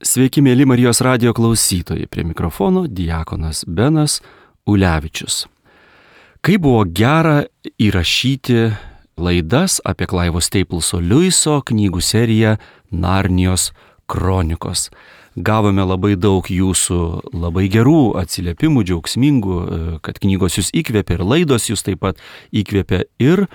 Sveiki, mėly Marijos radijo klausytojai, prie mikrofono diakonas Benas Ulevičius. Kaip buvo gera įrašyti laidas apie Clivo Stapleso Lewiso knygų seriją Narnijos kronikos. Gavome labai daug jūsų labai gerų atsiliepimų, džiaugsmingų, kad knygos jūs įkvėpė ir laidos jūs taip pat įkvėpė, ir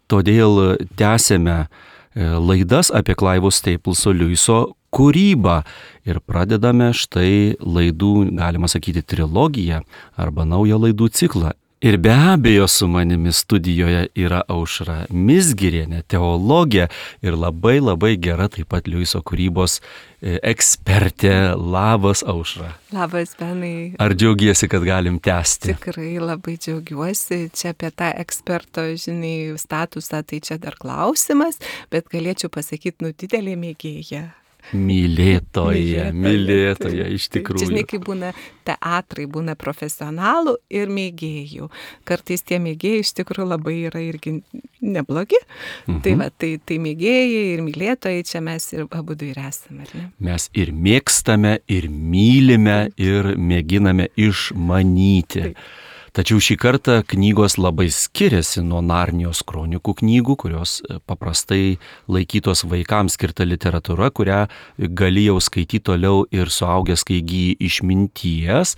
todėl tęsėme laidas apie Clivo Stapleso Lewiso kūrybą ir pradedame štai laidų, galima sakyti, trilogiją arba naują laidų ciklą. Ir be abejo su manimi studijoje yra Aušra Mizgirienė, teologė ir labai gera taip pat Lewiso kūrybos ekspertė. Labas, Aušra. Labas, Benai. Ar džiaugiesi, kad galim tęsti? Tikrai labai džiaugiuosi. Čia apie tą eksperto, statusą, tai čia dar klausimas, bet galėčiau pasakyti, didelė mėgėja. Mylėtoja, iš tikrųjų. Čia žinai, kaip būna teatrai, būna profesionalų ir mėgėjų. Kartais tie mėgėjai iš tikrųjų labai yra irgi neblogi. Tai mėgėjai ir mylėtojai, čia mes ir abudu ir esame, ar ne? Mes ir mėgstame, ir mylime, ir mėginame išmanyti. Taip. Tačiau šį kartą knygos labai skiriasi nuo Narnijos kronikų knygų, kurios paprastai laikytos vaikams skirta literatūra, kurią gali jau skaityti toliau ir suaugęs, kai įgyji išminties.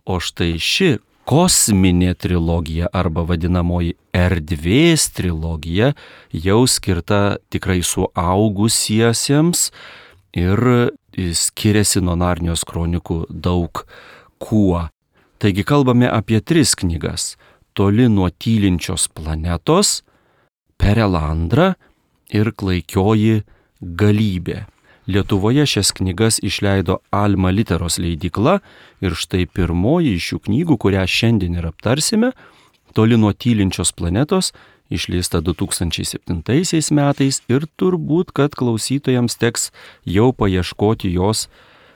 O štai ši kosminė trilogija arba vadinamoji erdvės trilogija jau skirta tikrai suaugusiesiems ir skiriasi nuo Narnijos kronikų daug kuo. Taigi kalbame apie 3 knygas: Toli nuo tylinčios planetos, Perelandra ir Klaikioji galybė. Lietuvoje šias knygas išleido Alma Literos leidykla ir štai pirmoji iš šių knygų, kurią šiandien ir aptarsime, Toli nuo tylinčios planetos, išleista 2007 metais ir turbūt, kad klausytojams teks jau paieškoti jos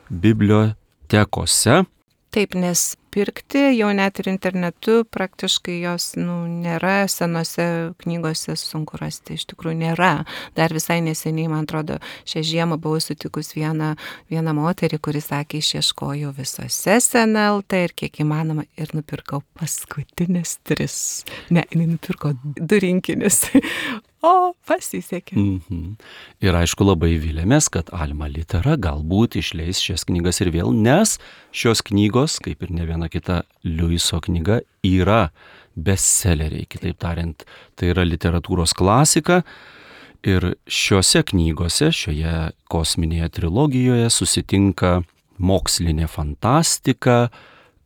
bibliotekose. Taip, nes pirkti jau net ir internetu praktiškai jos nėra, senose knygose sunku rasti, iš tikrųjų nėra. Dar visai neseniai, man atrodo, šią žiemą buvau sutikus vieną moterį, kuri sakė, išieškojau visose SNLT ir kiek įmanoma ir nupirkau paskutinės 3. Ne, nupirko 2 rinkinius. O, pasisekė. Ir aišku, labai vilėmės, kad Alma Litera galbūt išleis šias knygas ir vėl, nes šios knygos, kaip ir ne viena kita Lewiso knyga, yra bestselleriai. Kitaip tariant, tai yra literatūros klasika. Ir šiuose knygose, šioje kosminėje trilogijoje susitinka mokslinė fantastika,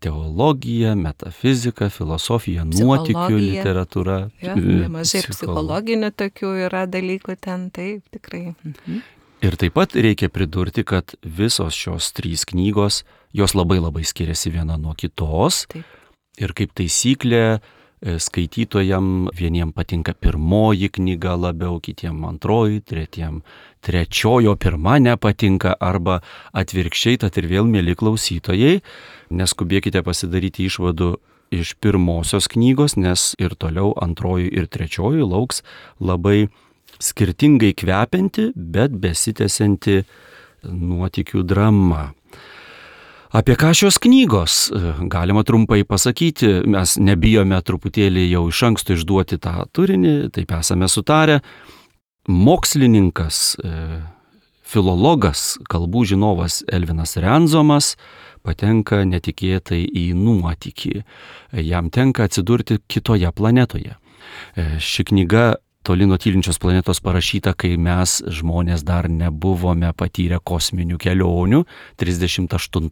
teologija, metafizika, filosofija, nuotykių literatūra. Nemažai psichologinių tokių yra dalykų ten, taip, tikrai. Ir taip pat reikia pridurti, kad visos šios 3 knygos, jos labai skiriasi viena nuo kitos. Taip. Ir kaip taisyklė, skaitytojam vieniem patinka pirmoji knyga labiau, kitiem antroji, tretiem trečiojo pirma nepatinka, arba atvirkščiai. Tad ir vėl, mėly klausytojai, neskubėkite pasidaryti išvadų iš pirmosios knygos, nes ir toliau antroji ir trečioji lauks labai skirtingai kvepianti, bet besitęsianti nuotykių drama. Apie ką šios knygos? Galima trumpai pasakyti, mes nebijome truputėlį jau iš anksto išduoti tą turinį, taip esame sutarę. Mokslininkas, filologas, kalbų žinovas Elvinas Renzomas patenka netikėtai į nuotykį. Jam tenka atsidurti kitoje planetoje. Ši knyga Toli nuo tylinčios planetos parašyta, kai mes žmonės dar nebuvome patyrę kosminių kelionių 38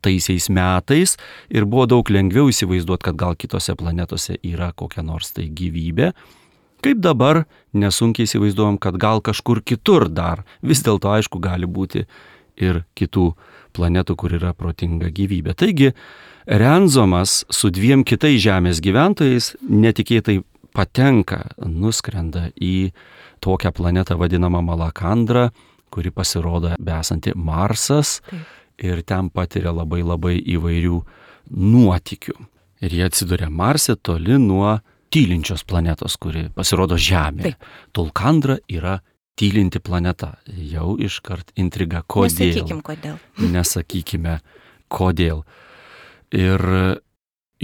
metais ir buvo daug lengviau įsivaizduoti, kad gal kitose planetose yra kokia nors tai gyvybė. Kaip dabar nesunkiai įsivaizduojam, kad gal kažkur kitur dar vis dėlto aišku gali būti ir kitų planetų, kur yra protinga gyvybė. Taigi Renzomas su 2 kitais Žemės gyventojais netikėtai nuskrenda į tokią planetą vadinamą Malakandrą, kuri pasirodo besanti Marsas. Taip. Ir ten patiria labai įvairių nuotykių. Ir jie atsiduria Marse toli nuo tylinčios planetos, kuri pasirodo Žemė. Tulkandra yra tylinti planeta. Jau iškart intriga. Kodėl? Nesakykim, kodėl. Nesakykime, kodėl. Ir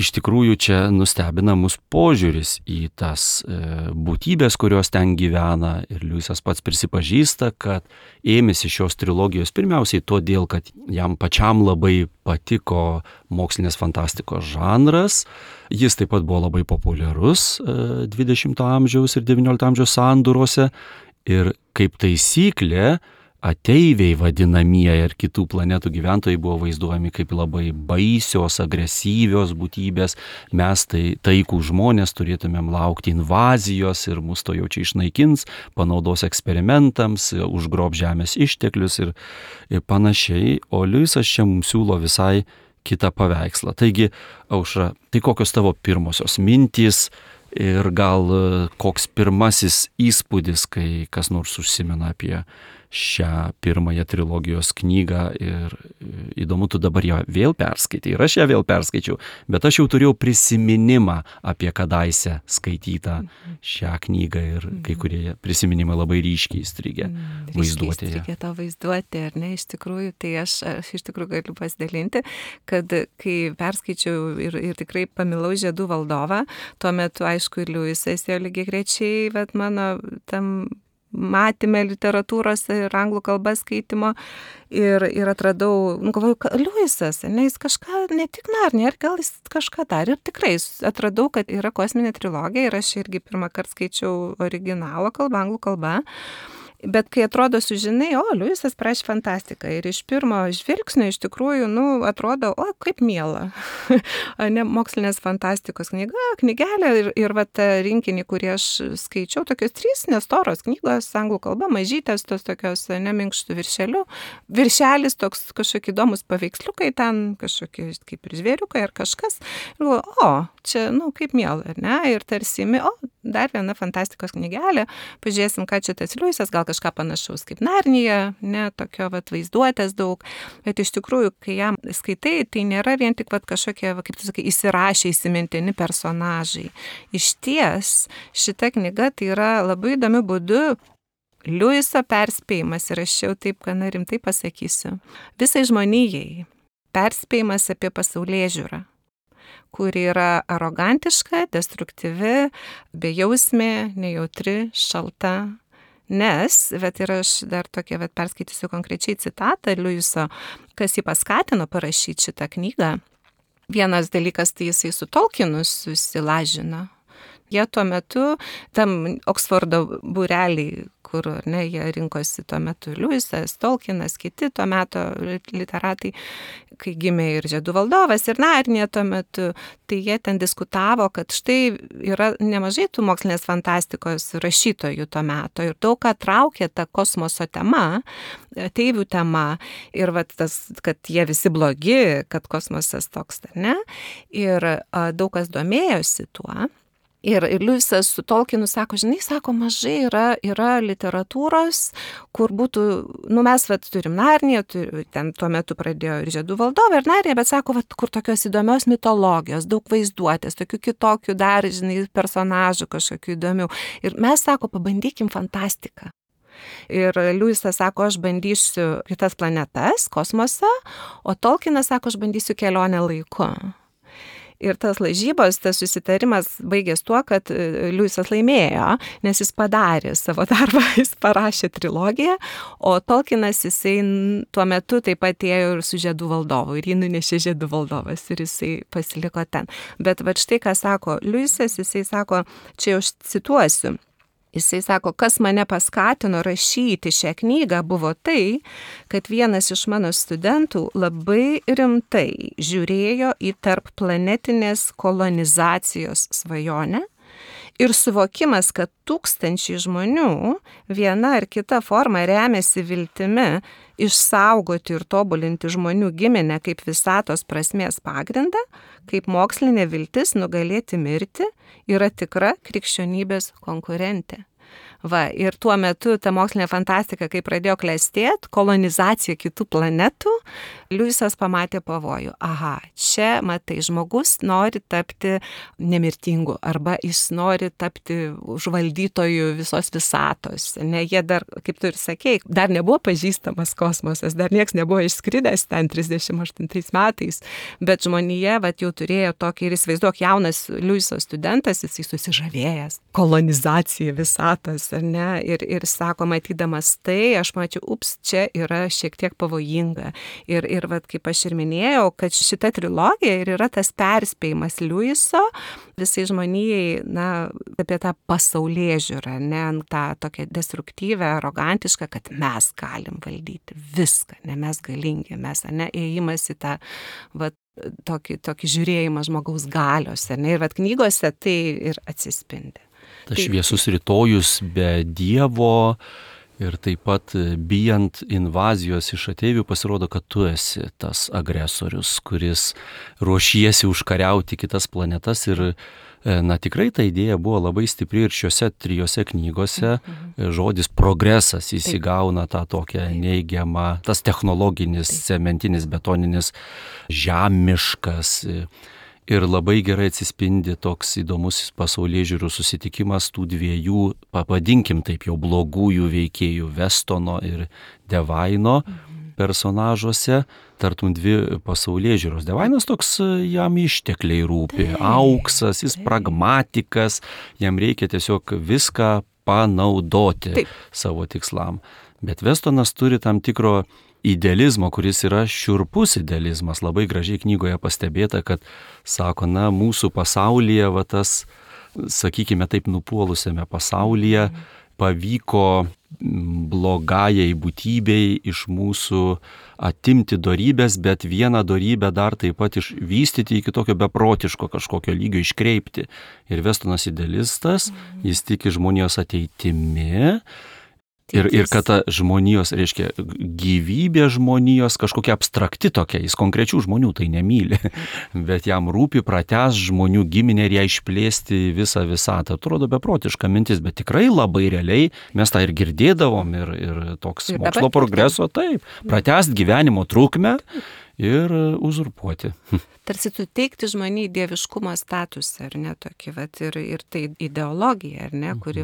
iš tikrųjų čia nustebina mus požiūris į tas būtybės, kurios ten gyvena. Ir Liujisas pats prisipažįsta, kad ėmėsi šios trilogijos pirmiausiai todėl, kad jam pačiam labai patiko mokslinės fantastikos žanras. Jis taip pat buvo labai populiarus 20 amžiaus ir 19 amžiaus sandūrose. Ir kaip taisyklė, ateiviai vadinamieji ir kitų planetų gyventojai buvo vaizduojami kaip labai baisios, agresyvios būtybės. Mes taikų žmonės turėtumėm laukti invazijos ir mus to jau čia išnaikins, panaudos eksperimentams, užgrob žemės išteklius ir panašiai. O Liujisas čia mums siūlo visai kitą paveikslą. Taigi, Aušra, tai kokios tavo pirmosios mintys ir gal koks pirmasis įspūdis, kai kas nors užsimena apie šią pirmąją trilogijos knygą ir įdomu, tu dabar ją vėl perskaitai ir aš ją vėl perskaičiau, bet aš jau turėjau prisiminimą apie kadaise skaitytą šią knygą ir kai kurie prisiminimai labai ryškiai įstrigę vaizduotėje. Įstrigė to vaizduotė, ar ne, iš tikrųjų, tai aš iš tikrųjų galiu pasidalinti, kad kai perskaičiau ir tikrai pamilau Žiedų valdovą, tuo metu, aišku, ir Liujisas jo lygiagrečiai, bet mano tam matėme literatūros ir anglų kalbos skaitimo ir atradau, galvoju, Liujisas, ne, jis kažką, ne tik Narniją, gal jis kažką dar ir tikrai atradau, kad yra kosminė trilogija ir aš irgi pirmą kartą skaičiau originalo kalbą, anglų kalbą. Bet kai atrodo sužinai, Liujisas parašė fantastiką ir iš pirmo žvilgsnio iš tikrųjų, atrodo, kaip miela. Ne, mokslinės fantastikos knygelė ir va tą rinkinį, kurį aš skaičiau, tokios 3 nestoros knygos, anglų kalba, mažytės, tos tokios neminkštų viršelių. Viršelis toks kažkokie įdomus paveiksliukai, ten kažkokie kaip ir žvėriukai ar kažkas. Ir galvoju, čia, kaip miela, ar ne? Ir tarsi, dar viena fantastikos knygelė, pažiūrėsim, ką čia tas Liujisas, gal kažką panašaus kaip Narnija, ne, tokio vaizduotės daug, bet iš tikrųjų, kai jam skaitai, tai nėra vien tik kažkokie, kaip tu sakai, įsirašę įsimintini personažai. Iš ties, šita knyga tai yra labai įdomiu būdu Liujiso perspėjimas, ir aš jau taip gana rimtai pasakysiu, visai žmonijai perspėjimas apie pasaulėžiūrą, kuri yra arogantiška, destruktyvi, bejausmė, nejautri, šalta. Nes, ir aš dar tokia, perskaitysiu konkrečiai citatą Liujiso, kas jį paskatino parašyti šitą knygą. Vienas dalykas, tai jisai su Tolkienu susilažino. Jie tuo metu, tam Oksfordo būreliai, kur jie rinkosi tuo metu Liujisas, Tolkienas, kiti tuo metu literatai, kai gimė ir Žiedų valdovas, ir Narnija tuo metu, tai jie ten diskutavo, kad štai yra nemažai tų mokslinės fantastikos rašytojų tuo metu ir daug ką traukė ta kosmoso tema, ateivių tema ir tas, kad jie visi blogi, kad kosmosas toks, ne? Ir daug kas domėjosi tuo. Ir Liujisas su Tolkienu sako, mažai yra literatūros, kur būtų, mes turim Narniją, ten tuo metu pradėjo ir Žiedų valdovą ir Narniją, bet sako, kur tokios įdomios mitologijos, daug vaizduotės, tokių kitokių dar, personažų kažkokių įdomių. Ir mes, sako, pabandykim fantastiką. Ir Liujisas sako, aš bandysiu kitas planetas, kosmosą, o Tolkienas sako, aš bandysiu kelionę laiku. Ir tas lažybos, tas susitarimas baigės tuo, kad Liujisas laimėjo, nes jis padarė savo darbą, jis parašė trilogiją, o Tolkienas jisai tuo metu taip pat ėjo ir su Žiedų valdovu, ir jį nunešė Žiedų valdovas, ir jisai pasiliko ten. Bet štai ką sako Liujisas, jisai sako, čia jau cituosiu. Jisai sako, kas mane paskatino rašyti šią knygą buvo tai, kad vienas iš mano studentų labai rimtai žiūrėjo į tarpplanetinės kolonizacijos svajonę ir suvokimas, kad tūkstančiai žmonių viena ar kita forma remiasi viltimi išsaugoti ir tobulinti žmonių giminę kaip visatos prasmės pagrindą, kaip mokslinė viltis nugalėti mirtį, yra tikra krikščionybės konkurentė. Va, ir tuo metu ta mokslinė fantastika, kai pradėjo klestėti, kolonizacija kitų planetų, Liujisas pamatė pavojų. Aha, čia, matai, žmogus nori tapti nemirtingu, arba jis nori tapti užvaldytoju visos visatos. Ne, jie dar, kaip tu ir sakei, dar nebuvo pažįstamas kosmosas, dar nieks nebuvo išskridęs ten 38 metais, bet žmonija jau turėjo tokį, ir įsivaizduok, jaunas Liujiso studentas, jisai susižavėjęs, kolonizacija visatos, ar ne, ir sako, matydamas tai, aš mačiau, čia yra šiek tiek pavojinga. Ir kaip aš ir minėjau, kad šita trilogija ir yra tas perspėjimas Liujiso visai žmonijai, apie tą pasaulėžiūrą, ne, tą tokią destruktyvę, arogantišką, kad mes galim valdyti viską, ne, mes galingi, mes, ne, ėjimas į tą, tokį žiūrėjimą žmogaus galios, ne, ir knygose tai ir atsispindi. Tas šviesus rytojus be Dievo ir taip pat bijant invazijos iš ateivių pasirodo, kad tu esi tas agresorius, kuris ruošiesi užkariauti kitas planetas ir tikrai ta idėja buvo labai stipri ir šiuose 3 knygose žodis progresas įsigauna tą tokią neigiamą, tas technologinis, cementinis, betoninis, žemiškas. Ir labai gerai atsispindi toks įdomus pasaulėžiūrų susitikimas tų 2, pavadinkim taip jau, blogųjų veikėjų, Westono ir Devaino personažuose, tartum 2 pasaulėžiūros. Devainas toks, jam ištekliai rūpi, auksas, jis pragmatikas, jam reikia tiesiog viską panaudoti savo tikslam. Bet Westonas turi tam tikro idealizmo, kuris yra šiurpus idealizmas. Labai gražiai knygoje pastebėta, kad sako, mūsų pasaulyje, tas, sakykime taip, nupuolusiame pasaulyje pavyko blogajai būtybei iš mūsų atimti dorybės, bet vieną dorybę dar taip pat išvystyti iki tokio beprotiško kažkokio lygio iškreipti. Ir Westonas idealistas, jis tiki žmonijos ateitimi. Ir kad ta žmonijos, reiškia, gyvybė žmonijos kažkokia abstrakti tokia, jis konkrečių žmonių tai nemyli, bet jam rūpi pratęs žmonių giminę ir ją išplėsti visą visatą. Atrodo beprotiška mintis, bet tikrai labai realiai mes tą ir girdėdavom ir toks mokslo progreso, taip, pratęs gyvenimo trukmę ir uzurpuoti. Tarsi suteikti žmonijai dieviškumo statusą, ar ne, tokį, ir tai ideologija, ar ne, kuri,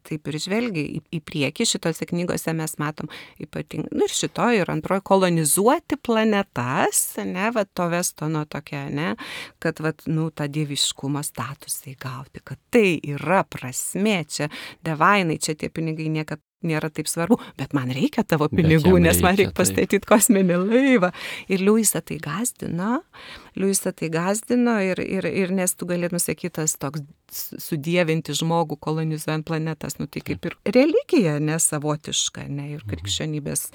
taip ir žvelgia į priekį, šitose knygose mes matom ypatingai, ir šitoje, ir antroje, kolonizuoti planetas, ne, to Westono tokia, ne, kad, tą dieviškumo statusą įgauti, kad tai yra prasmė, čia Devainai, čia tie pinigai niekad nėra taip svarbu, bet man reikia tavo pinigų, nes man reikia pastatyti kosminį laivą. Ir Liujisą tai gazdino, ir nes tu galėtum sakyti, tas toks sudievinti žmogų kolonizuojant planetas, tai kaip ir religija, nesavotiška, ne, ir krikščionybės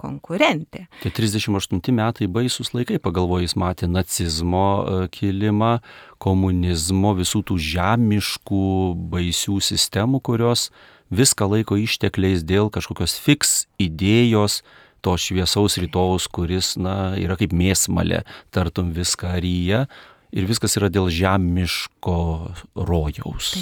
konkurentė. Tie 38 metai baisus laikai, pagalvoju, jis matė nacizmo kilimą, komunizmo, visų tų žemiškų baisių sistemų, kurios viską laiko ištekliais dėl kažkokios fiks idėjos, to šviesaus rytojaus, kuris, yra kaip mėsmalė, tartum viską ryja, ir viskas yra dėl žemiško rojaus.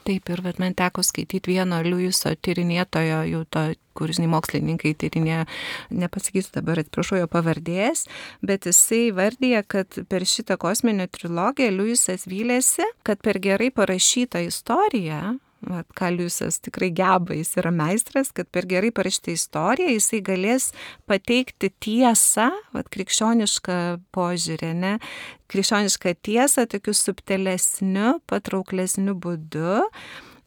Taip, ir man teko skaityti vieno Liujiso tyrinėtojo, jau to, kuris mokslininkai tyrinėjo, nepasakysiu dabar, atsiprašau jo pavardės, bet jisai vardija, kad per šitą kosminę trilogiją Liujisas vylėsi, kad per gerai parašytą istoriją, ką Liujisas tikrai geba, jis yra meistras, kad per gerai parašytą istoriją jisai galės pateikti tiesą, krikščionišką požiūrį, ne, krikščionišką tiesą tokiu subtilesniu, patrauklesniu būdu.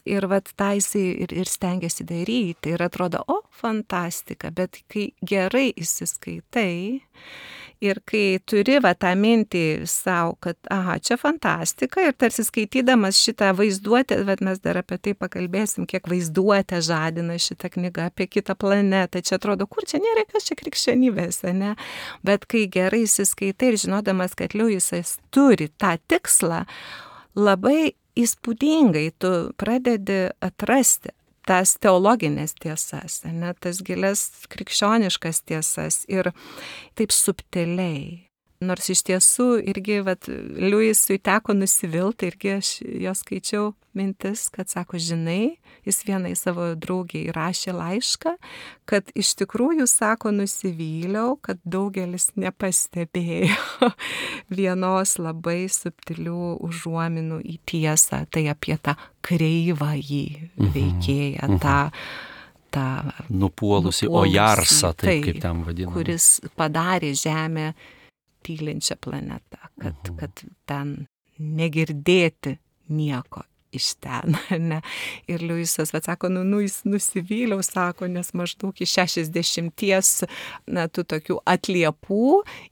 Ir tą jisai ir stengiasi daryti. Ir atrodo, fantastika, bet kai gerai įsiskaitai ir kai turi tą mintį savo, kad čia fantastika, ir tarsi skaitydamas šitą vaizduotę, mes dar apie tai pakalbėsim, kiek vaizduotę žadina šitą knygą apie kitą planetą, čia atrodo, kur čia nėra kas čia krikščionybės, ne? Bet kai gerai įsiskaitai ir žinodamas, kad Liujisas turi tą tikslą, labai įspūdingai tu pradedi atrasti tas teologinės tiesas, ne, tas gilias krikščioniškas tiesas ir taip subtiliai. Nors iš tiesų irgi, Liujisui teko nusivilti, irgi aš jo skaičiau mintis, kad sako, žinai, jis vienai savo draugiai rašė laišką, kad iš tikrųjų, sako, nusivyliau, kad daugelis nepastebėjo vienos labai subtilių užuominų į tiesą, tai apie tą kreivąjį veikėją, tą nupuolusi Ojarsą, taip kaip ten vadinama, kuris padarė Žemę tylinčią planetą, kad ten negirdėti nieko iš ten, ne? Ir Liujisas, sako, jis nusivyliau, sako, nes maždaug iš 60 tų tokių atliepų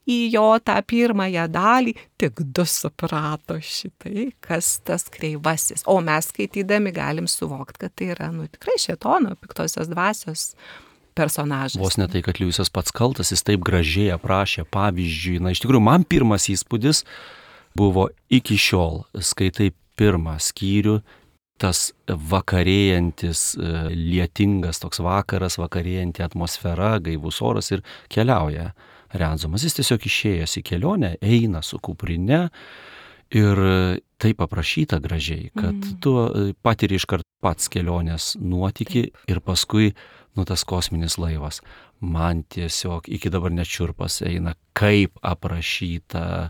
į jo tą pirmąją dalį, tik 2 suprato šitai, kas tas kreivasis. O mes skaitydami galim suvokti, kad tai yra, tikrai šėtono, piktosios dvasios personažas. Vos ne tai, kad Liujisas pats kaltas, jis taip gražiai aprašė pavyzdžiui. Iš tikrųjų, man pirmas įspūdis buvo iki šiol, skaitai pirmą skyrių, tas vakarėjantis, lietingas toks vakaras, vakarėjanti atmosfera, gaivus oras ir keliauja Renzomas. Jis tiesiog išėjęs į kelionę, eina su kuprine ir taip aprašyta gražiai, kad tu patiri iškart pats kelionės nuotykį ir paskui tas kosminis laivas. Man tiesiog iki dabar net šiurpas eina, kaip aprašyta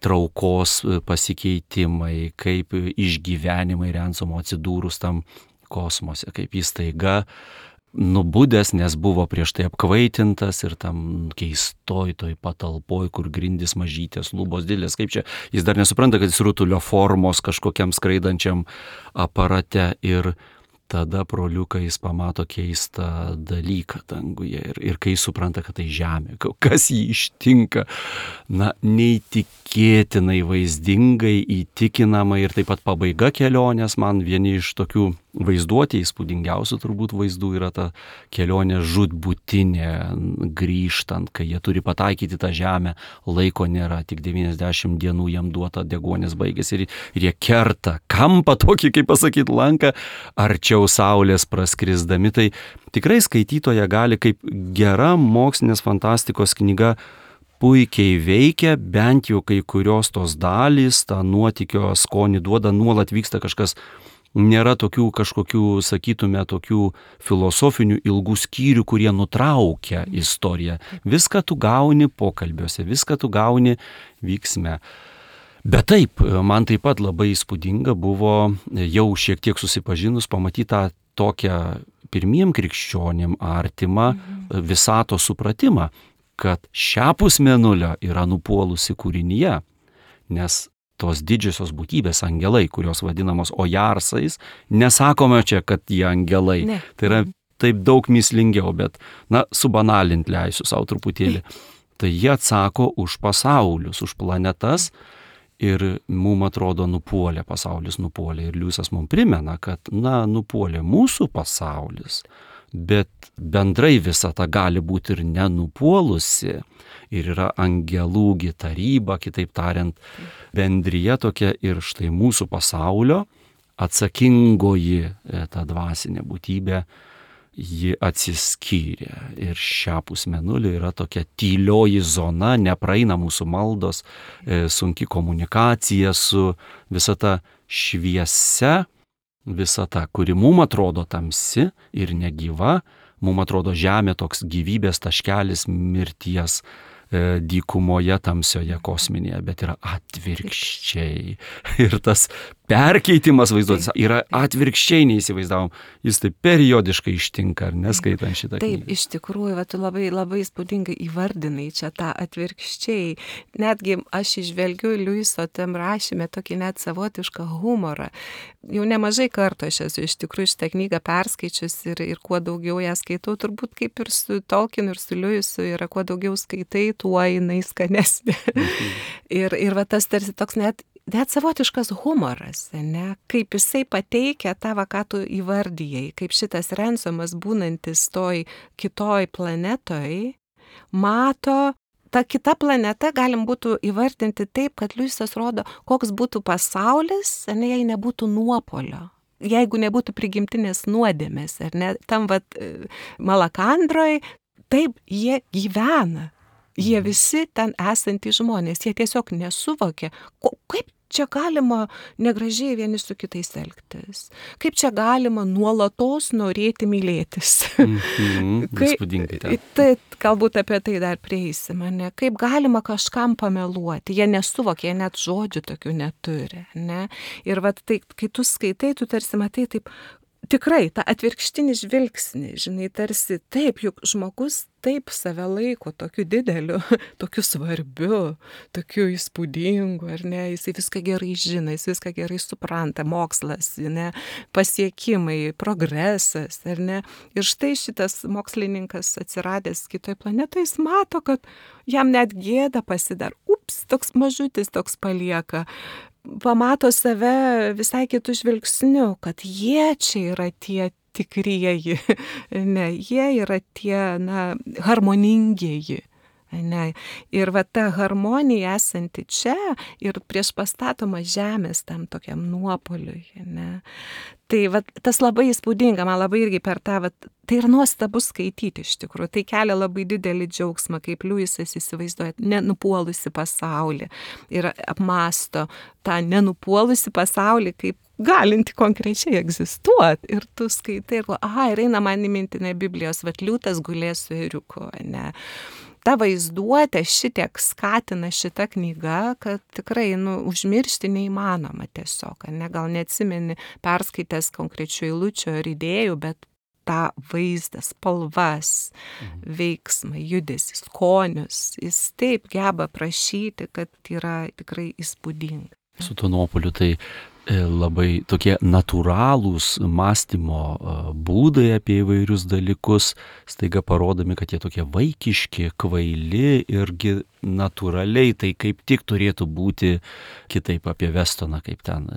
traukos pasikeitimai, kaip išgyvenimai Renzomo atsidūrus tam kosmose, kaip jis staiga nubudęs, nes buvo prieš tai apkvaitintas ir tam keistoj toj patalpoj, kur grindys mažytės, lubos didelės, kaip čia, jis dar nesupranta, kad jis rutulio formos kažkokiam skraidančiam aparate ir tada pro liuką jis pamato keistą dalyką danguje ir kai supranta, kad tai Žemė, kas jį ištinka, neįtikėtinai vaizdingai, įtikinamai ir taip pat pabaiga kelionės, man vieni iš tokių vaizduotė įspūdingiausių turbūt vaizdų yra ta kelionė žūtbūtinė grįžtant, kai jie turi pataikyti tą Žemę, laiko nėra, tik 90 dienų jam duota, deguonis baigėsi ir jie kerta kampą tokį, kaip pasakyti, lanką, arčiau Saulės praskrisdami. Tai tikrai skaitytoja gali kaip gera mokslinės fantastikos knyga puikiai veikia, bent jau kai kurios tos dalys, tą nuotykio skonį duoda, nuolat vyksta kažkas. Nėra tokių kažkokių, sakytume, tokių filosofinių ilgų skyrių, kurie nutraukia istoriją. Viską tu gauni pokalbiuose, viską tu gauni vyksme. Bet taip, man taip pat labai įspūdinga buvo jau šiek tiek susipažinus pamatytą tokią pirmiem krikščionim artimą visato supratimą, kad šiapus Mėnulio yra nupuolusi kūrinyje, nes tos didžiosios būtybės angelai, kurios vadinamos Ojarsais, nesakome čia, kad jie angelai. Ne. Tai yra taip daug mįslingiau, bet, subanalint leisiu savo truputėlį. Tai jie atsako už pasaulius, už planetas ir mums atrodo nupuolė, pasaulis nupuolė. Ir Liujisas mums primena, kad, nupuolė mūsų pasaulis, bet bendrai visata gali būti ir nenupuolusi. Ir yra angelų taryba, kitaip tariant, bendrija tokia ir štai mūsų pasaulio atsakingoji ta dvasinė būtybė, ji atsiskyrė. Ir šiapus Mėnulio yra tokia tylioji zona, nepraeina mūsų maldos, sunki komunikacija su visata šviesia, visata, kuri mums atrodo tamsi ir negyva, mums atrodo Žemė toks gyvybės taškelis mirties dykumoje tamsioje kosminėje, bet yra atvirkščiai. Ir tas perkeitimas vaizduotės yra atvirkščiai neįsivaizdavom. Jis taip periodiškai ištinka, ar neskaitant šitą knygą. Taip, iš tikrųjų, tu labai, labai įspūdingai įvardinai čia tą atvirkščiai. Netgi aš išvelgiu Liujiso tam rašyme tokį net savotišką humorą. Jau nemažai kartų aš esu iš tikrųjų šitą knygą perskaičius ir kuo daugiau ją skaitau, turbūt kaip ir su Tolkienu ir su Liujisu yra, kuo daugiau skaitai, tuo jinai skanesnė. Ir tas tarsi toks net savotiškas humoras, ne? Kaip jisai pateikia tą, ką tu įvardyjai, kaip šitas Renzomas būnantis toj kitoj planetoj, mato, ta kita planeta galim būtų įvardinti taip, kad Liujisas rodo, koks būtų pasaulis, jei nebūtų nuopolio. Jeigu nebūtų prigimtinės nuodėmės, ar ne, tam Malakandroj, taip jie gyvena. Jie visi ten esantys žmonės, jie tiesiog nesuvokia, kaip čia galima negražiai vieni su kitais elgtis, kaip čia galima nuolatos norėti mylėtis. Įspūdingai ten. Tai galbūt apie tai dar prieisim, ne? Kaip galima kažkam pameluoti, jie nesuvokia, jie net žodžių tokių neturi. Ne? Ir vat, tai, kai tu skaitai, tu tarsi matai taip, tikrai, tą atvirkštinį žvilgsnį, žinai, tarsi taip, juk žmogus taip save laiko tokiu dideliu, tokiu svarbiu, tokiu įspūdingu, ar ne, jisai viską gerai žino, jis viską gerai supranta, mokslas, ne, pasiekimai, progresas, ar ne. Ir štai šitas mokslininkas atsiradęs kitoje planetoje, jis mato, kad jam net gėda pasidar, toks mažutis toks palieka. Pamato save visai kitų žvilgsnių, kad jie čia yra tie tikrieji, ne, jie yra tie, harmoningieji. Ne. Ir va ta harmonija esanti čia ir prieš pastatoma žemės tam tokiam nuopoliui. Ne. Tai va, tas labai įspūdinga, man labai irgi per tą, va, tai yra nuostabu skaityti iš tikrųjų, tai kelia labai didelį džiaugsmą, kaip Liujisas įsivaizduoja nenupuolusi pasaulį ir apmąsto tą nenupuolusi pasaulį kaip galinti konkrečiai egzistuoti. Ir tu skaitai ir ir eina man į mintinę Biblijos, vat liūtas gulės su ėriuku, ne. Ta vaizduotė šitiek skatina šita knyga, kad tikrai, užmiršti neįmanoma tiesiog, ne, gal neatsimeni perskaitęs konkrečių eilučių ar idėjų, bet tą vaizdą, spalvas, veiksmą, judesį, skonius, jis taip geba prašyti, kad yra tikrai įspūdinga. Su tuo nuopoliu tai labai tokie natūralūs mąstymo būdai apie įvairius dalykus, staiga parodomi, kad jie tokie vaikiški, kvaili irgi natūraliai, tai kaip tik turėtų būti kitaip apie Vestoną, kaip ten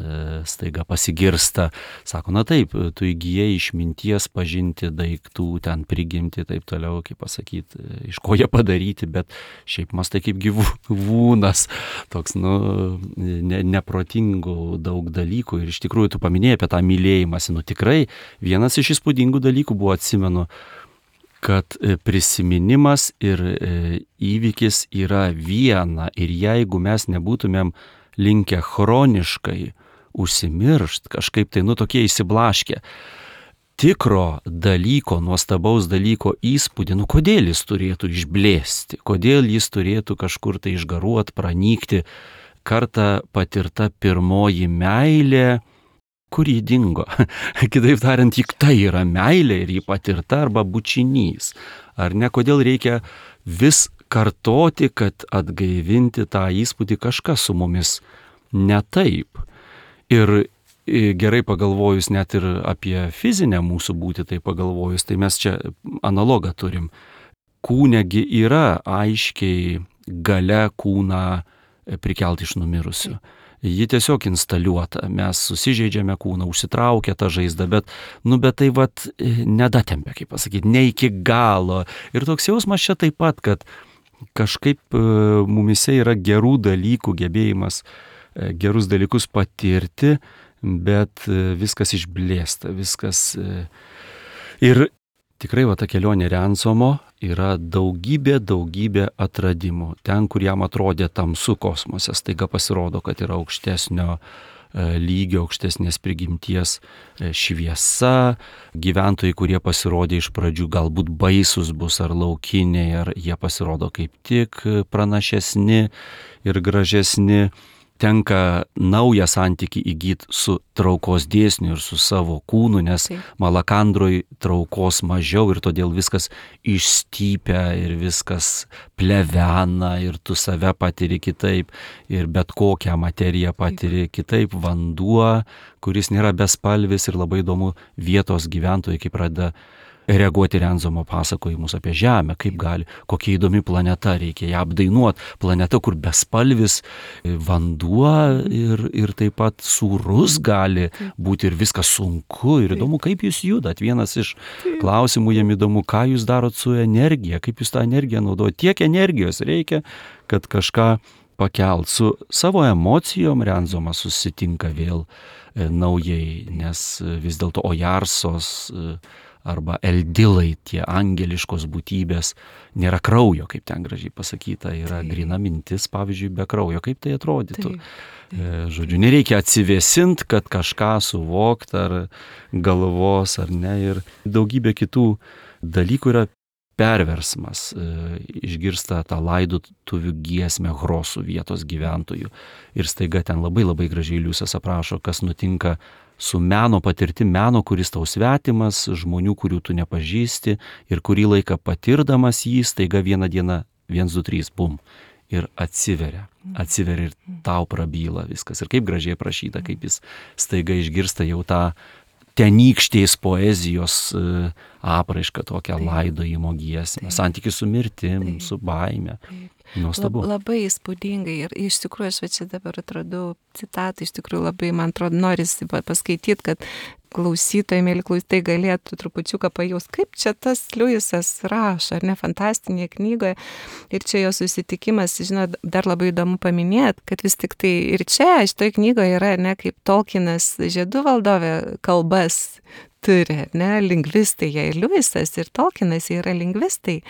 staiga pasigirsta. Sako, taip, tu įgyjai išminties pažinti daiktų, ten prigimti, taip toliau, kaip pasakyti, iš ko jie padaryti, bet šiaip mastai kaip gyvūnas, toks, neprotingų daug dalykų. Ir iš tikrųjų tu paminėjai apie tą mylėjimąsi. Tikrai vienas iš įspūdingų dalykų buvo, atsimenu, kad prisiminimas ir įvykis yra viena. Ir jeigu mes nebūtumėm linkę chroniškai užsimiršt, kažkaip tai, tokie įsiblaškę, tikro dalyko, nuostabaus dalyko įspūdį, kodėl jis turėtų išblėsti, kodėl jis turėtų kažkur tai išgaruot, pranykti. Kartą patirta pirmoji meilė, kur jį dingo. Kitaip tariant, juk tai yra meilė ir jį patirta arba bučinys. Ar ne, kodėl reikia vis kartoti, kad atgaivinti tą įspūdį, kažkas su mumis ne taip. Ir gerai pagalvojus net ir apie fizinę mūsų būtį, tai pagalvojus, tai mes čia analogą turim. Kūnegi yra aiškiai galia kūną prikelti iš numirusių. Ji tiesiog instaliuota, mes susižeidžiame kūną, užsitraukia tą žaizdą, bet tai nedatempia, kaip pasakyti, ne iki galo. Ir toks jausmas čia taip pat, kad kažkaip mumise yra gerų dalykų, gebėjimas gerus dalykus patirti, bet viskas išblėsta, viskas. Ir tikrai ta kelionė Rensomo yra daugybė atradimų. Ten, kur jam atrodė tamsu kosmose, staiga pasirodo, kad yra aukštesnio lygio, aukštesnės prigimties šviesa. Gyventojai, kurie pasirodė iš pradžių galbūt baisus bus ar laukiniai, ar jie pasirodo kaip tik pranašesni ir gražesni. Tenka naują santykį įgyti su traukos dėsniu ir su savo kūnu, nes Malakandroj traukos mažiau ir todėl viskas išstypia ir viskas plevena ir tu save patiri kitaip ir bet kokią materiją patiri kitaip. Vanduo, kuris nėra bespalvis ir labai įdomu vietos gyventojai, kaip pradeda reaguoti Rensomo pasakojimus apie Žemę, kaip gali, kokia įdomi planeta, reikia ją apdainuoti. Planeta, kur bespalvis vanduo ir taip pat sūrus gali būti ir viskas sunku ir įdomu, kaip jūs judat. Vienas iš klausimų jam įdomu, ką jūs darot su energija, kaip jūs tą energiją naudojat. Tiek energijos reikia, kad kažką pakelt. Su savo emocijom Rensomas susitinka vėl naujai, nes vis dėlto Ojarsos arba eldilai, tie angeliškos būtybės, nėra kraujo, kaip ten gražiai pasakyta, yra grina mintis, pavyzdžiui, be kraujo, kaip tai atrodytų. Žodžiu, nereikia atsivėsint, kad kažką suvokt ar galvos ar ne, ir daugybė kitų dalykų yra perversmas, išgirsta tą laidotuvių giesmę Hrosų vietos gyventojų ir staiga ten labai labai gražiai Liusas aprašo, kas nutinka su meno patirtim, meno, kuris tau svetimas, žmonių, kurių tu nepažįsti ir kurį laiką patirdamas jį, staiga vieną dieną 1, 2, 3, bum, ir atsiveria ir tau prabyla viskas. Ir kaip gražiai aprašyta, kaip jis staiga išgirsta jau tą tenykštės poezijos apraišką, tokią laidojimo giesmę, santykį su mirtim, su baime. Nuostabu. Labai įspūdingai ir iš tikrųjų aš čia dabar atradau citatą, iš tikrųjų labai, man atrodo, norisi paskaityti, kad klausytojai, mėly klausytojai, galėtų trupučiuką pajaust, kaip čia tas Liujisas rašo, ar ne, fantastinėje knygoje. Ir čia jo susitikimas, žinot, dar labai įdomu paminėti, kad vis tik tai ir čia, šitoje knygoje yra, ne, kaip Tolkienas Žiedų valdovė kalbas turi, ne, lingvistai, jie ir Liujisas, ir Tolkienas, jie yra lingvistai,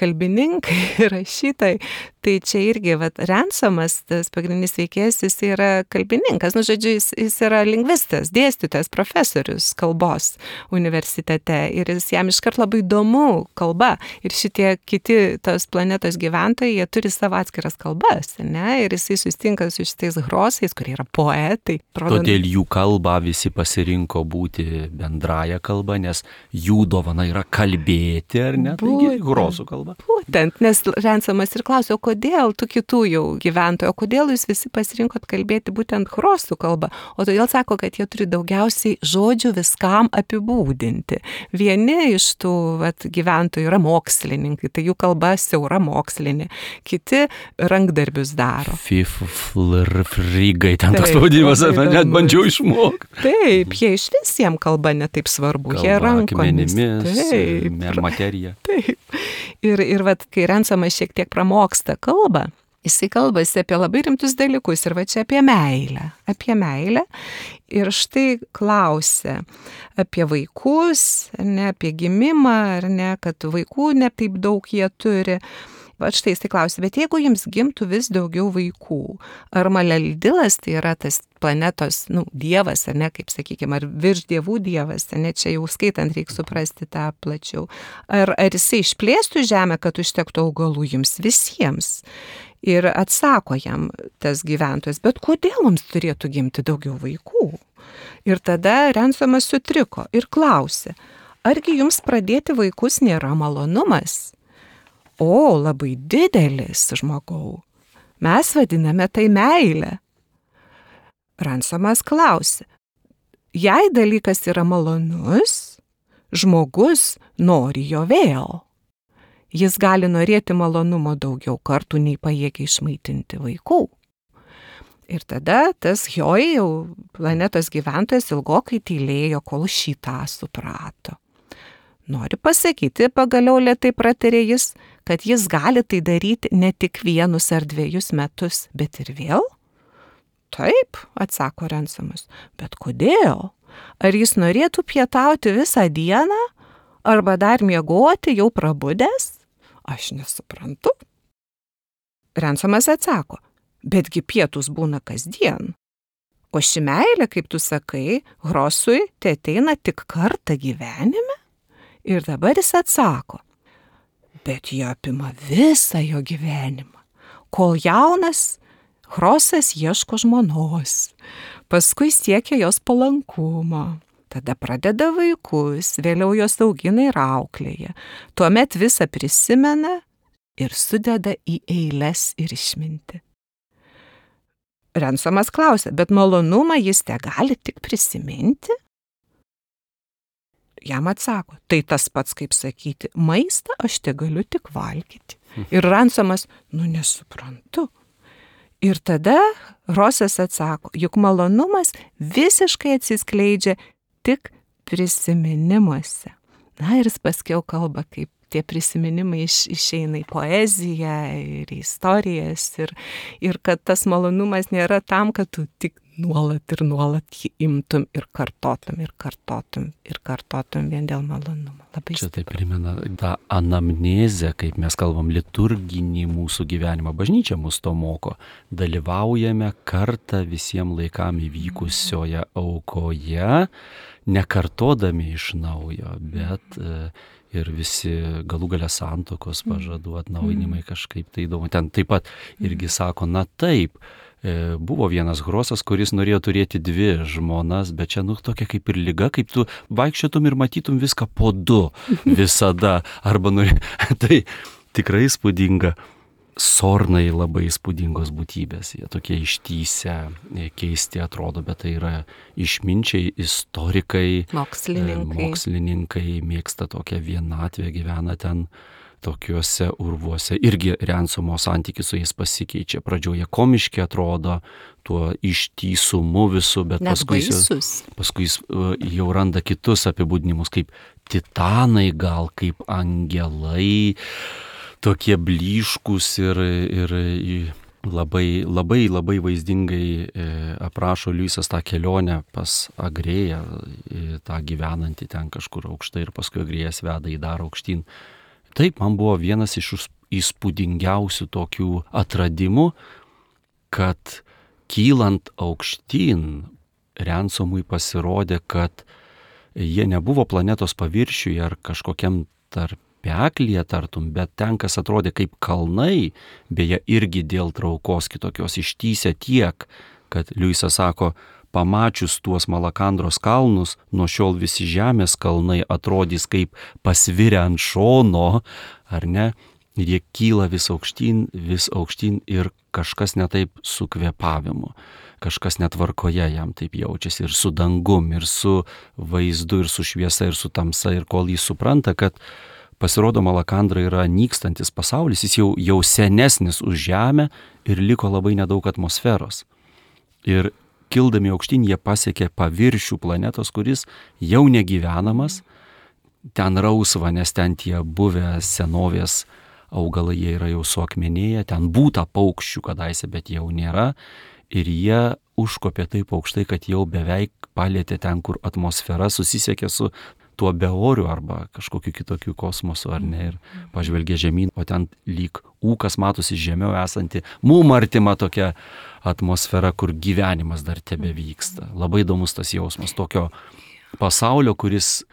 kalbininkai, rašytojai. Tai čia irgi, Rensomas, tas pagrindinis veikėjas, jis yra kalbininkas, žodžiu, jis yra lingvistas, dėstytojas, profesorius kalbos universitete ir jam iškart labai įdomu kalba. Ir šitie kiti tos planetos gyventojai, jie turi savo atskiras kalbas, ne, ir jisai susitinka su šitais Hrosais, kurie yra poetai. Todėl jų kalbą visi pasirinko būti bendraja kalba, nes jų dovana yra kalbėti, ar ne? Taigi Hrosų kalba. Būtent, nes Rensomas ir klausė, o kodėl tų kitų jau gyventojų, o kodėl jūs visi pasirinkot kalbėti būtent Hrosų kalbą? O todėl sako, kad jie turi daugiausiai žodžių viskam apibūdinti. Vieni iš tų gyventojų yra mokslininkai, tai jų kalba siaura mokslinė, kiti rankdarbius daro. Fiflrigai, ten toks pavadinimas, net bandžiau išmokti. Taip, jie iš visiems kalba netaip svarbu, kalba, jie rankomis. Akmenimis, materija. Taip. Ir kai Rensomas šiek tiek pramoksta kalbą, jisai kalbasi apie labai rimtus dalykus ir čia apie meilę. Ir štai klausia apie vaikus, ne apie gimimą, ar ne, kad vaikų ne taip daug jie turi. Štai jisai klausia, bet jeigu jums gimtų vis daugiau vaikų, ar Maleldilas, tai yra tas planetos, dievas, ar ne, kaip sakykime, ar virš dievų dievas, ar ne, čia jau skaitant reikia suprasti tą plačiau, ar jisai išplėstų žemę, kad užtektų augalų jums visiems? Ir atsako jam tas gyventojas, bet kodėl mums turėtų gimti daugiau vaikų? Ir tada Rensomas sutriko ir klausė, argi jums pradėti vaikus nėra malonumas? O, labai didelis, žmogau. Mes vadiname tai meilę. Rensomas klausė, jei dalykas yra malonus, žmogus nori jo vėl. Jis gali norėti malonumo daugiau kartų, nei pajėgia išmaitinti vaikų. Ir tada tas Hjoi, jau planetos gyventojas, ilgokai tylėjo, kol šitą suprato. Noriu pasakyti, pagaliau lėtai pratarė jis, kad jis gali tai daryti ne tik 1 ar 2 metus, bet ir vėl? Taip, atsako Rensomas, bet kodėl? Ar jis norėtų pietauti visą dieną, arba dar miegoti jau prabudęs? Aš nesuprantu. Rensomas atsako, betgi pietus būna kasdien. O ši meilė, kaip tu sakai, Hrosui tai ateina tik kartą gyvenime? Ir dabar jis atsako, bet jie apima visą jo gyvenimą. Kol jaunas, Hrosas ieško žmonos, paskui siekia jos palankumo, tada pradeda vaikus, vėliau jos augina ir auklėja, tuomet visą prisimena ir sudeda į eiles ir išminti. Rensomas klausia, bet malonumą jis tegali tik prisiminti? Jam atsako, tai tas pats kaip sakyti, maistą aš tegaliu tik valgyti. Ir Rensomas, nesuprantu. Ir tada Hrosas atsako, juk malonumas visiškai atsiskleidžia tik prisiminimuose. Ir jis paskiau kalba, kaip tie prisiminimai išeina į poeziją ir į istorijas ir kad tas malonumas nėra tam, kad tu tik nuolat ir nuolat jį imtum ir kartotum vien dėl malonumo. Labai Čia tai primena tą anamnezę, kaip mes kalbam, liturginį mūsų gyvenimą. Bažnyčia mus to moko. Dalyvaujame kartą visiems laikam įvykusioje aukoje, nekartodami iš naujo, bet ir visi galų gale santuokos pažadų atnaujinimai kažkaip tai įdomu. Ten taip pat irgi sako, na taip, buvo vienas Grosas, kuris norėjo turėti 2 žmonas, bet čia tokia kaip ir liga, kaip tu vaikščiotum ir matytum viską po 2 visada. Arba tai tikrai įspūdinga. Sornai labai įspūdingos būtybės, jie tokie ištysę, keisti atrodo, bet tai yra išminčiai, istorikai, mokslininkai mėgsta tokią vienatvę, gyvena ten tokiuose urvuose. Irgi Rensomo santykis su jais pasikeičia. Pradžioje komiški atrodo, tuo ištysumu visų, bet paskui jis jau randa kitus apibūdinimus, kaip titanai gal, kaip angelai, tokie blyškus ir labai vaizdingai aprašo Liujisas tą kelionę pas Agrėją, tą gyvenantį ten kažkur aukštai ir paskui Agrėjas veda į dar aukštyn. Taip, man buvo vienas iš įspūdingiausių tokių atradimų, kad kylant aukštyn Rensomui pasirodė, kad jie nebuvo planetos paviršiuje ar kažkokiam tarpeklyje tartum, bet ten, kas atrodė kaip kalnai, beje irgi dėl traukos kitokios ištysę tiek, kad Liujisas sako, pamačius tuos Malakandros kalnus, nuo šiol visi žemės kalnai atrodys kaip pasvirę ant šono, ar ne? Ir jie kyla vis aukštyn ir kažkas netaip su kvėpavimu, kažkas netvarkoje jam taip jaučiasi ir su dangum, ir su vaizdu, ir su šviesa, ir su tamsa, ir kol jis supranta, kad pasirodo Malakandra yra nykstantis pasaulis, jis jau senesnis už žemę ir liko labai nedaug atmosferos. Ir kildami aukštyn jie pasiekė paviršių planetos, kuris jau negyvenamas, ten rausva, nes ten tie buvę senovės augalai, jie yra jau suakmenėję, ten būta paukščių kadaise, bet jau nėra, ir jie užkopė taip aukštai, kad jau beveik palėtė ten, kur atmosfera susisiekė su tuo beoriu arba kažkokiu kitokiu kosmosu, ar ne, ir pažvelgė žemyn, o ten lyg ūkas matosi žemiau esanti, mum artima tokia atmosfera, kur gyvenimas dar tebe vyksta. Labai įdomus tas jausmas tokio pasaulio, kuris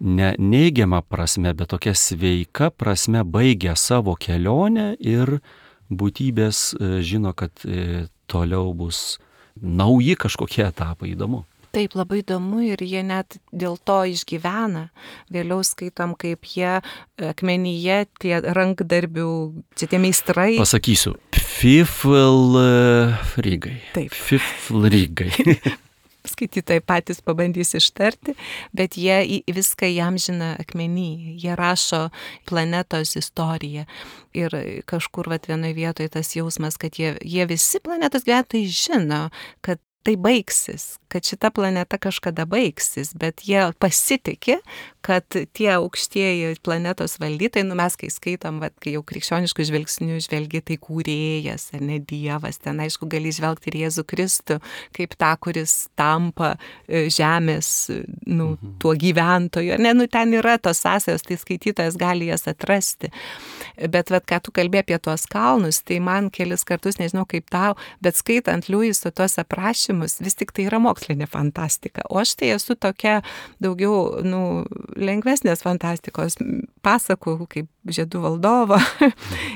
ne neigiama prasme, bet tokia sveika prasme baigia savo kelionę ir būtybės žino, kad toliau bus nauji kažkokie etapai. Įdomu. Taip, labai įdomu ir jie net dėl to išgyvena. Vėliau skaitom, kaip jie akmenyje, tie rankdarbių, tie meistrai. Pasakysiu, Pfiflrygai. Taip. Pfiflrygai. Skaitytojai patys pabandys ištarti, bet jie viską įamžina akmenį. Jie rašo planetos istoriją. Ir kažkur vienoje vietoje tas jausmas, kad jie visi planetos gyventojai žino, kad tai baigsis, kad šita planeta kažkada baigsis, bet jie pasitikė, kad tie aukštieji planetos valdytojai, mes kai skaitom, kai jau krikščioniškų žvilgsnių žvelgi, tai kūrėjas, ar ne Dievas, ten aišku gali žvelgti ir Jėzų Kristų, kaip tą, kuris tampa žemės, tuo gyventoju, ten yra tos sąsajos, tai skaitytojas gali jas atrasti. Bet ką tu kalbėjai apie tuos kalnus, tai man kelis kartus, nežinau kaip tau, bet skaitant Liujiso tuos aprašymus, vis tik tai yra mokslinė fantastika. O aš tai esu tokia daugiau, lengvesnės fantastikos pasakų, kaip Žiedų valdovo.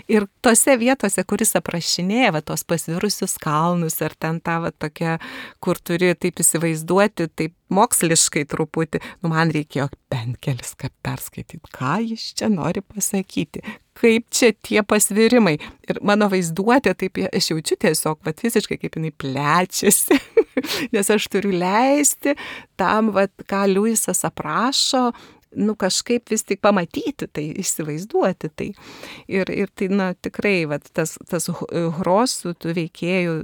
Ir tose vietose, kuris aprašinėja tos pasvirusius kalnus, ar ten tą tokia, kur turi taip įsivaizduoti, taip moksliškai truputį, man reikėjo bent kelis kart perskaityti, ką jis čia nori pasakyti, kaip čia tie pasvirimai. Ir mano vaizduotė, taip aš jaučiu tiesiog, fiziškai kaip jinai plečiasi, nes aš turiu leisti tam, ką Liujisas aprašo, kažkaip vis tik pamatyti tai, įsivaizduoti tai. Ir tai, tikrai, tas Grosų tų veikėjų,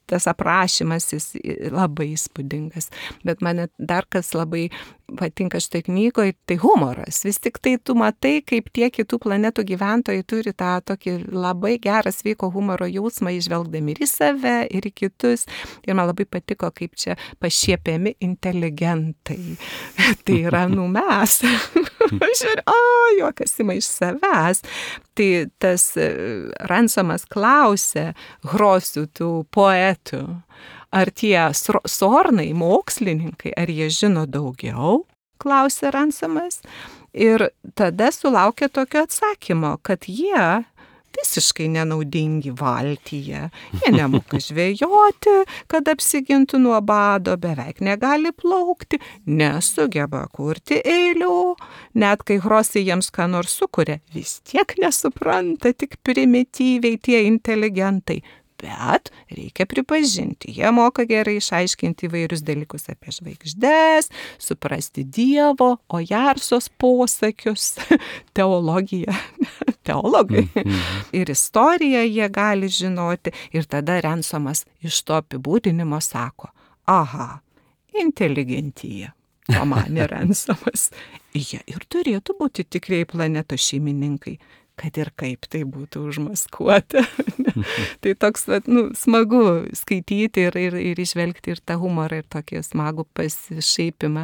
tas aprašymas jis labai įspūdingas. Bet mane dar kas labai patinka šitoj knygoje, tai humoras. Vis tik tai tu matai, kaip tie kitų planetų gyventojai turi tą tokį labai gerą sveiko humoro jausmą, išvelgdami ir į save, ir į kitus. Ir man labai patiko, kaip čia pašiepiami inteligentai. Tai yra, mes. Žiūrėjau, juokas ima iš savęs. Tai tas Ransomas klausė Grosių, tų poetų, ar tie sornai, mokslininkai, ar jie žino daugiau, klausė Ransomas. Ir tada sulaukė tokio atsakymo, kad jie visiškai nenaudingi valtyje. Jie nemoka žvejoti, kad apsigintų nuo bado, beveik negali plaukti, nesugeba kurti eilių. Net kai Grosai jiems ką nors sukuria, vis tiek nesupranta, tik primityviai tie inteligentai. Bet reikia pripažinti, jie moka gerai išaiškinti įvairius dalykus apie žvaigždes, suprasti Dievo, Ojarsos posakius, teologiją, teologai. Ir istoriją jie gali žinoti. Ir tada Ransomas iš to apibūdinimo sako, aha, inteligentija. Pamanė Ransomas. Jie ir turėtų būti tikrai planetos šeimininkai, kad ir kaip tai būtų užmaskuota. Tai toks, smagu skaityti ir išvelgti ir tą humorą, ir tokį smagų pasišaipimą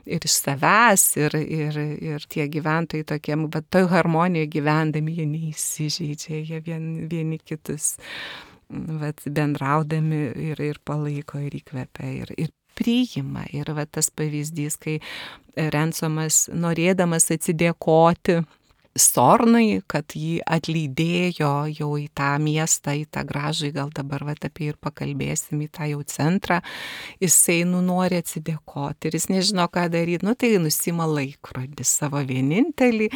ir iš savęs, ir tie gyventojai tokiem, bet toj harmonijoje gyvendami jie neįsižeidžia, jie vieni kitus bendraudami ir palaiko, ir įkvepia, ir priima. Ir tas pavyzdys, kai Ransomas, norėdamas atsidėkoti Sornai, kad jį atlydėjo jau į tą miestą, į tą gražų, gal dabar apie ir pakalbėsim, į tą jau centrą, jisai nori atsidėkoti ir jis nežino, ką daryti, tai nusima laikrodį savo vienintelį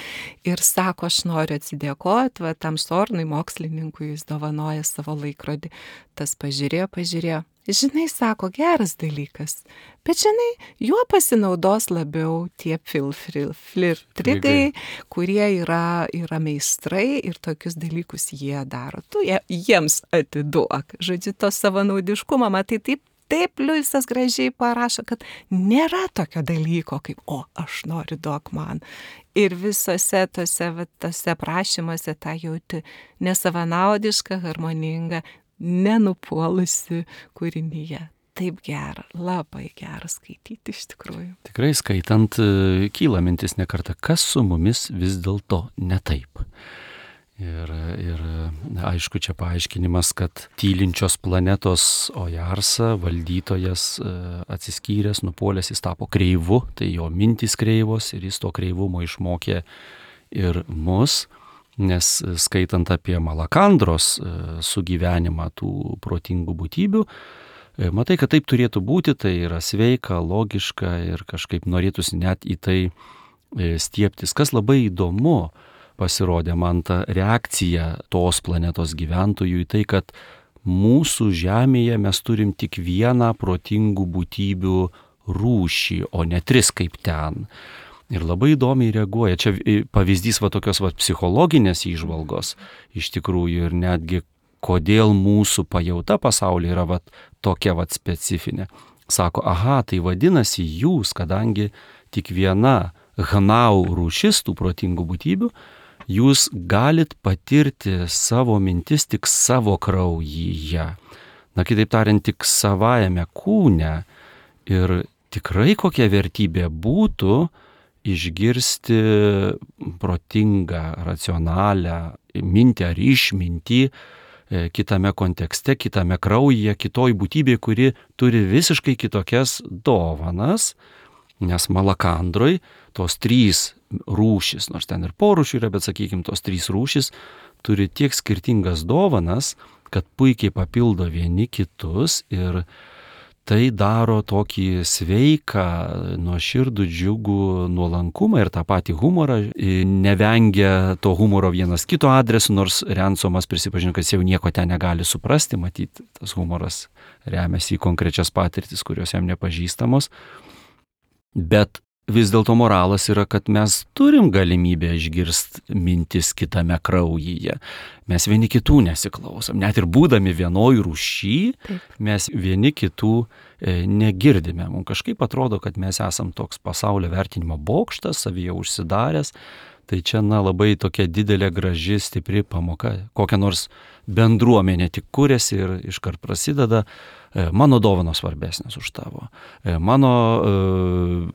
ir sako, aš noriu atsidėkoti, tam Sornui, mokslininkui, jis dovanoja savo laikrodį. Tas pažiūrėjo. Žinai, sako, geras dalykas, bet žinai, juo pasinaudos labiau tie flirtrigai, kurie yra meistrai ir tokius dalykus jie daro. Tu jiems atiduok. Žodžiu, to savanaudiškumą, matai, taip Liujisas gražiai parašo, kad nėra tokio dalyko kaip, aš noriu, duok man. Ir visose tose prašymuose tą jauti nesavanaudišką, harmoningą, nenupuolusi kūrinyje. Taip gera, labai gera skaityti iš tikrųjų. Tikrai skaitant kyla mintis ne kartą, kas su mumis vis dėlto ne taip. Ir aišku, čia paaiškinimas, kad tylinčios planetos Ojarsa valdytojas atsiskyręs, nupuolęs, jis tapo kreivu, tai jo mintys kreivos ir jis to kreivumo išmokė ir mus. Nes skaitant apie Malakandros sugyvenimą tų protingų būtybių, matai, kad taip turėtų būti, tai yra sveika, logiška ir kažkaip norėtųsi net į tai stiebtis. Kas labai įdomu pasirodė man ta reakcija tos planetos gyventojų į tai, kad mūsų Žemėje mes turim tik vieną protingų būtybių rūšį, o ne 3 kaip ten. Ir labai įdomiai reaguoja. Čia pavyzdys tokios psichologinės įžvalgos iš tikrųjų ir netgi kodėl mūsų pajauta pasaulyje yra tokia specifinė. Sako, aha, tai vadinasi jūs, kadangi tik viena hnau rūšis tų protingų būtybių, jūs galit patirti savo mintis tik savo kraujyje. Kitaip tariant, tik savajame kūne. Ir tikrai kokia vertybė būtų išgirsti protingą, racionalią mintį ar išmintį kitame kontekste, kitame kraujyje, kitoj būtybė, kuri turi visiškai kitokias dovanas, nes Malakandroj tos 3 rūšis, nors ten ir porūšių yra, bet sakykime, tos 3 rūšis turi tiek skirtingas dovanas, kad puikiai papildo vieni kitus ir tai daro tokį sveiką, nuoširdų, džiugų nuolankumą ir tą patį humorą. Nevengia to humoro vienas kito adresu, nors Ransomas prisipažino, kad jis jau nieko ten negali suprasti, matyti, tas humoras remiasi į konkrečias patirtis, kurios jam nepažįstamos. Bet vis dėlto moralas yra, kad mes turim galimybę išgirsti mintis kitame kraujyje. Mes vieni kitų nesiklausom. Net ir būdami vienoj rūšy, mes vieni kitų negirdime. Mums kažkaip atrodo, kad mes esam toks pasaulio vertinimo bokštas, savyje užsidaręs. Tai čia, labai tokia didelė, graži, stipri pamoka. Kokia nors bendruomenė tik kūrėsi ir iškart prasideda. Mano dovanos svarbesnis už tavo. Mano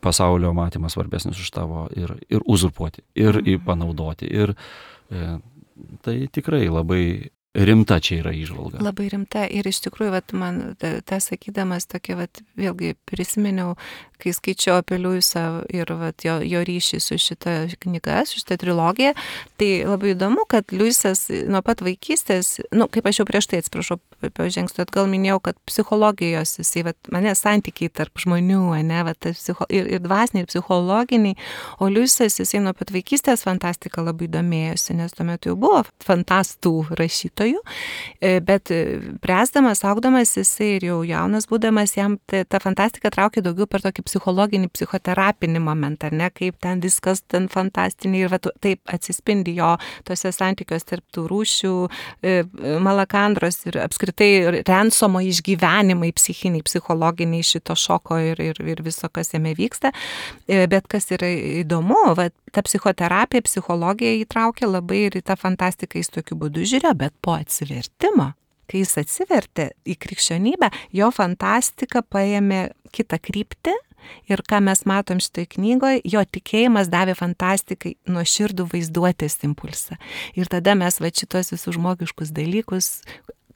pasaulio matymas svarbesnis už tavo. Ir uzurpuoti, ir panaudoti. Ir tai tikrai labai rimta čia yra įžvalga. Labai rimta ir iš tikrųjų, man tą sakydamas tokia, vėlgi prisiminiau, kai skaičiau apie Liujisą ir jo ryšį su šita knyga, su šita trilogija, tai labai įdomu, kad Liujisas nuo pat vaikystės, kaip aš jau prieš tai atsiprašau, pažengsiu atgal minėjau, kad psichologijos, jisai, mane santykiai tarp žmonių, ir dvasiniai, ir psichologiniai, o Liujisas, jisai nuo pat vaikystės fantastika labai domėjosi, nes tuo metu jau buvo fantastų rašytojų, bet bręsdamas, augdamas, jisai ir jau jaunas būdamas, jam ta fantastika traukė daugiau per tokį psichologinį, psichoterapinį momentą, ne, kaip ten viskas ten fantastiniai ir taip atsispindi jo tose santykios tarp tų rūšių, Malakandros ir apskritai Rensomo išgyvenimai psichiniai, psichologiniai šito šoko ir viso, kas jame vyksta. Bet kas yra įdomu, ta psichoterapija, psichologija įtraukia labai ir į tą fantastiką jis tokiu būdu žiūrėjo, bet po atsivertimo, kai jis atsivertė į krikščionybę, jo fantastika paėmė kitą kryptį. Ir ką mes matom šitoj knygoje, jo tikėjimas davė fantastikai nuoširdų vaizduotės impulsą. Ir tada mes šitos visus žmogiškus dalykus,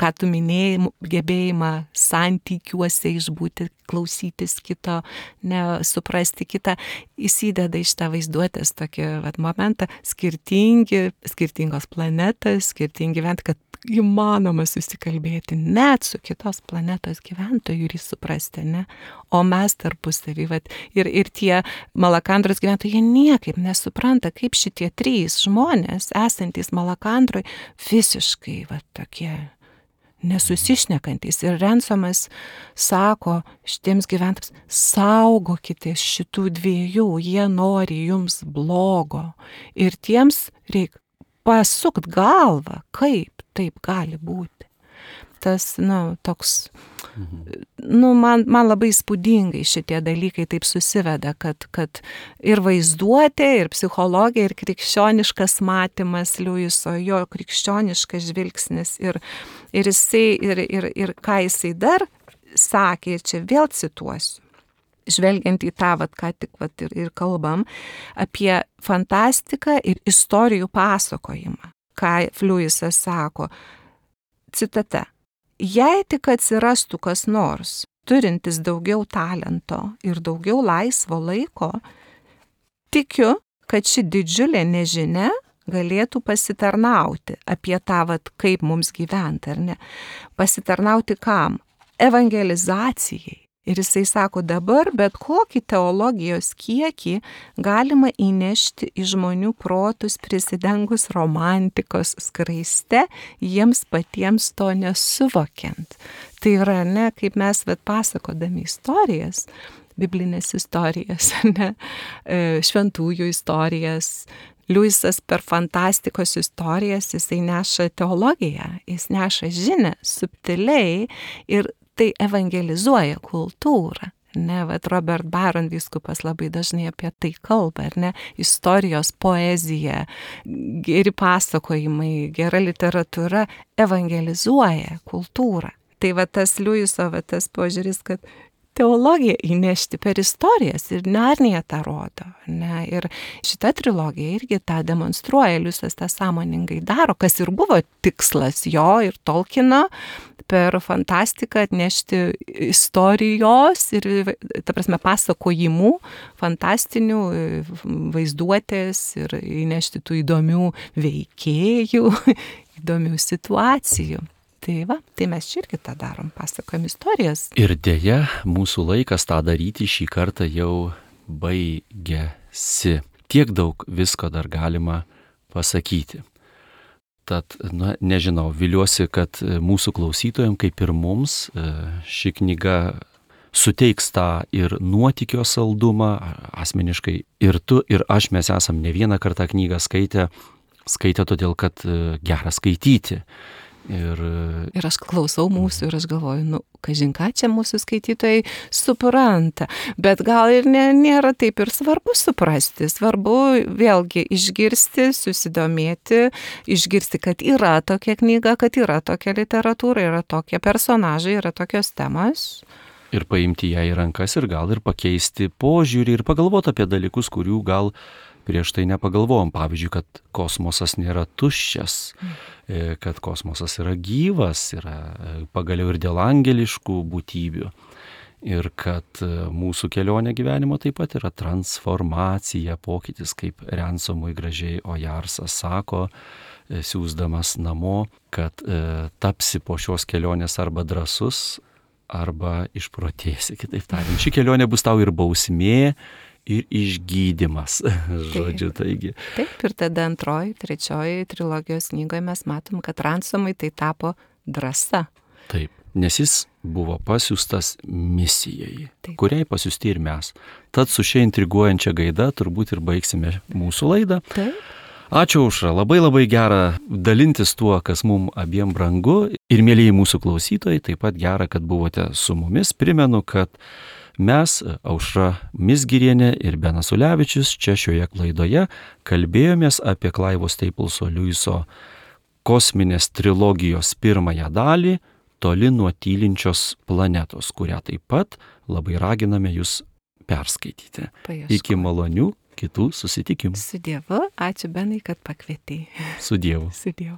ką tu minėjai, gebėjimą santykiuose išbūti, klausytis kito, suprasti kitą, įsideda iš tą vaizduotės tokį momentą, skirtingos planetos, skirtingi gyventi, kad įmanoma susikalbėti net su kitos planetos gyventojų ir suprasti, ne? O mes tarpusavį, ir tie Malakandros gyventojai, jie niekaip nesupranta, kaip šitie 3 žmonės, esantys Malakandroj, visiškai tokie nesusišnekantys. Ir Rensomas sako šitiems gyventojams, saugokitės šitų 2, jie nori jums blogo. Ir tiems reikia pasukt galvą, kaip taip gali būti. Tas, toks, man labai įspūdingai šitie dalykai taip susiveda, kad ir vaizduotė, ir psichologija, ir krikščioniškas matymas Liujiso, jo krikščioniškas žvilgsnis, ir jisai, ir ką jisai dar sakė, ir čia vėl cituosiu, žvelgiant į tą, ką tik ir kalbam, apie fantastiką ir istorijų pasakojimą, ką Liujisas sako, citata, jei tik atsirastų kas nors, turintis daugiau talento ir daugiau laisvo laiko, tikiu, kad ši didžiulė nežinia galėtų pasitarnauti apie tą, kaip mums gyventi, ar ne? Pasitarnauti kam? Evangelizacijai. Ir jisai sako, dabar bet kokį teologijos kiekį galima įnešti į žmonių protus prisidengus romantikos skraiste, jiems patiems to nesuvokiant. Tai yra, ne, kaip mes pasakodami istorijas, biblinės istorijas, ne, šventųjų istorijas, Liujisas per fantastikos istorijas, jisai neša teologiją, jis neša žinią subtiliai ir tai evangelizuoja kultūrą. Ne, Robert Barron vyskupas labai dažnai apie tai kalba, ar ne, istorijos poezija, geri pasakojimai, gera literatūra evangelizuoja kultūrą. Tai tas Liujiso, tas požiūris, kad teologiją įnešti per istorijas ir Narnija tą rodo. Ne? Ir šita trilogija irgi tą demonstruoja, Liujisas tą sąmoningai daro, kas ir buvo tikslas jo ir Tolkieno, per fantastiką atnešti istorijos ir, ta prasme, pasakojimų, fantastinių vaizduotės ir įnešti tų įdomių veikėjų, įdomių situacijų. Tai mes čia irgi tą darom, pasakojam istorijas. Ir dėja, mūsų laikas tą daryti šį kartą jau baigėsi. Tiek daug visko dar galima pasakyti. Tad, nežinau, viliuosi, kad mūsų klausytojams, kaip ir mums, ši knyga suteiks tą ir nuotykio saldumą, asmeniškai ir tu, ir aš, mes esam ne vieną kartą knygą skaitę todėl, kad gera skaityti. Ir aš klausau mūsų ir aš galvoju, kažin ką čia mūsų skaitytojai supranta, bet gal ir nėra taip ir svarbu suprasti, svarbu vėlgi išgirsti, susidomėti, išgirsti, kad yra tokia knyga, kad yra tokia literatūra, yra tokie personažai, yra tokios temos. Ir paimti ją į rankas ir gal ir pakeisti požiūrį ir pagalvoti apie dalykus, kurių gal prieš tai nepagalvojom. Pavyzdžiui, kad kosmosas nėra tuščias, kad kosmosas yra gyvas, yra pagaliau ir dėl angeliškų būtybių. Ir kad mūsų kelionė gyvenimo taip pat yra transformacija, pokytis, kaip Ransomui gražiai Ojarsas sako, siūsdamas namo, kad tapsi po šios kelionės arba drąsus, arba išprotėsi, kitaip tariant. Ši kelionė bus tau ir bausmė, ir išgydymas, žodžiu, taigi. Taip, ir tada antroji, trečioji trilogijos knygoje mes matom, kad Ransomui tai tapo drąsa. Taip, nes jis buvo pasiųstas misijai, Taip. Kuriai pasiųsti ir mes. Tad su šia intriguojančia gaida turbūt ir baigsime mūsų laidą. Taip. Ačiū, Aušra, labai gera dalintis tuo, kas mums abiem brangu. Ir mėlyjei mūsų klausytojai, taip pat gera, kad buvote su mumis. Primenu, kad mes, Aušra Mizgirienė ir Benas Ulevičius, čia šioje laidoje kalbėjomės apie Clive'o Stapleso Lewiso kosminės trilogijos pirmąją dalį Toli nuo tylinčios planetos, kurią taip pat labai raginame jūs perskaityti. Paieškoti. Iki malonių kitų susitikimų. Su Dievu, ačiū Benai, kad pakvietei. Su Dievu. Su Dievu.